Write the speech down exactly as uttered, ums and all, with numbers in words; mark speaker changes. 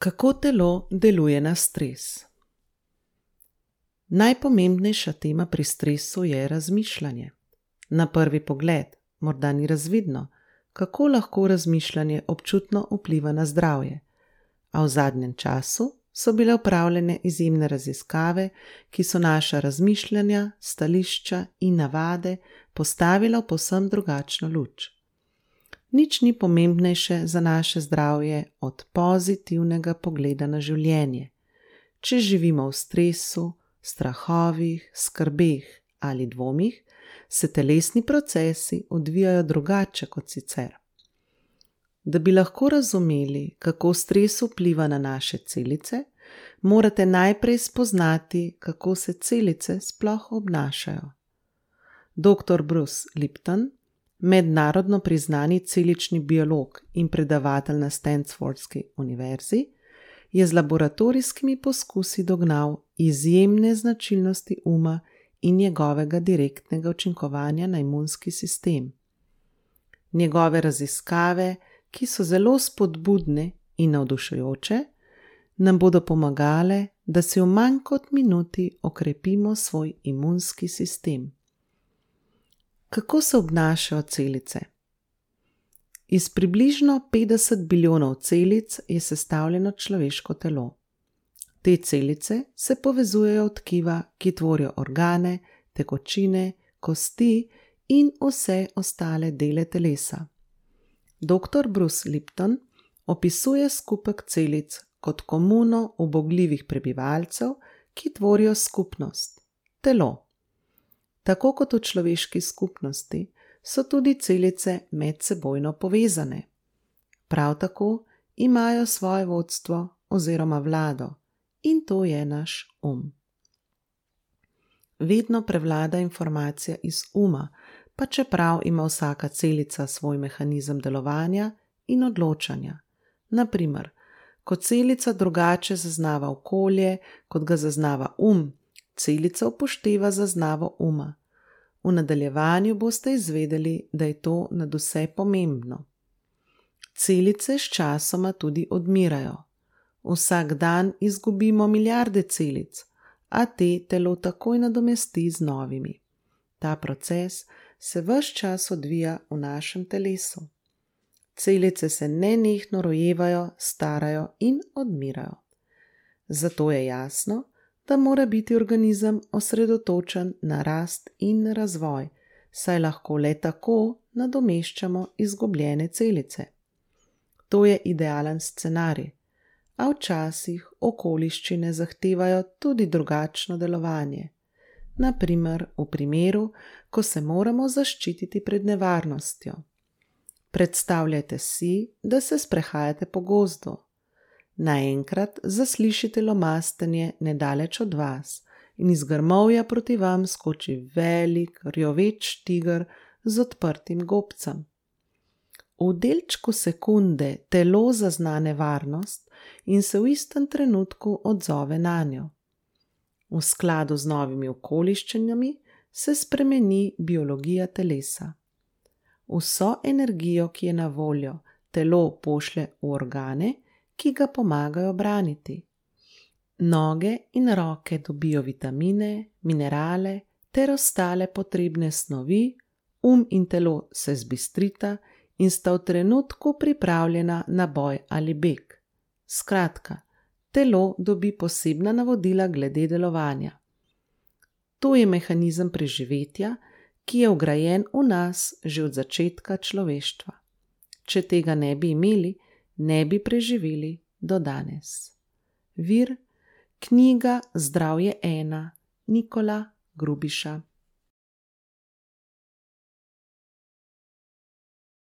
Speaker 1: Kako telo deluje na stres? Najpomembnejša tema pri stresu je razmišljanje. Na prvi pogled morda ni razvidno, kako lahko razmišljanje občutno vpliva na zdravje, a v zadnjem času so bile opravljene izjemne raziskave, ki so naša razmišljanja, stališča in navade postavila v povsem drugačno luč. Nič ni pomembnejše za naše zdravje od pozitivnega pogleda na življenje. Če živimo v stresu, strahovih, skrbeh ali dvomih, se telesni procesi odvijajo drugače kot sicer. Da bi lahko razumeli, kako stres vpliva na naše celice, morate najprej spoznati, kako se celice sploh obnašajo. doktor Bruce Lipton, mednarodno priznani celični biolog in predavatelj na Stanfordski univerzi, je z laboratorijskimi poskusi dognal izjemne značilnosti uma in njegovega direktnega učinkovanja na imunski sistem. Njegove raziskave, ki so zelo spodbudne in navdušujoče, nam bodo pomagale, da si v manj kot minuti okrepimo svoj imunski sistem. Kako se obnašajo celice? Iz približno petdeset bilijonov celic je sestavljeno človeško telo. Te celice se povezujejo v tkiva, ki tvorijo organe, tekočine, kosti in vse ostale dele telesa. doktor Bruce Lipton opisuje skupek celic kot komuno ubogljivih prebivalcev, ki tvorijo skupnost, telo. Tako kot v človeški skupnosti so tudi celice medsebojno povezane. Prav tako imajo svoje vodstvo oziroma vlado in to je naš um. Vedno prevlada informacija iz uma, pa čeprav ima vsaka celica svoj mehanizem delovanja in odločanja. Na primer, ko celica drugače zaznava okolje, kot ga zaznava um, celica upošteva zaznavo uma. V nadaljevanju boste izvedeli, da je to nadvse pomembno. Celice sčasoma tudi odmirajo. Vsak dan izgubimo milijarde celic, a te telo takoj nadomesti z novimi. Ta proces se ves čas odvija v našem telesu. Celice se nenehno rojevajo, starajo in odmirajo. Zato je jasno, da mora biti organizem osredotočen na rast in razvoj, saj lahko le tako nadomeščamo izgubljene celice. To je idealen scenarij, a včasih okoliščine zahtevajo tudi drugačno delovanje. Na primer v primeru, ko se moramo zaščititi pred nevarnostjo. Predstavljajte si, da se sprehajate po gozdu. Naenkrat zaslišite lomastenje nedaleč od vas in iz grmovja proti vam skoči velik, rjoveč tiger z odprtim gobcem. V delčku sekunde telo zazna nevarnost in se v istem trenutku odzove nanjo. V skladu z novimi okoliščinami se spremeni biologija telesa. Vso energijo, ki je na voljo, telo pošlje v organe, ki ga pomagajo braniti. Noge in roke dobijo vitamine, minerale ter ostale potrebne snovi, um in telo se zbistrita in sta v trenutku pripravljena na boj ali beg. Skratka, telo dobi posebna navodila glede delovanja. To je mehanizem preživetja, ki je vgrajen v nas že od začetka človeštva. Če tega ne bi imeli, ne bi preživeli do danes. Vir: knjiga Zdravje ena, Nikola Grubiša.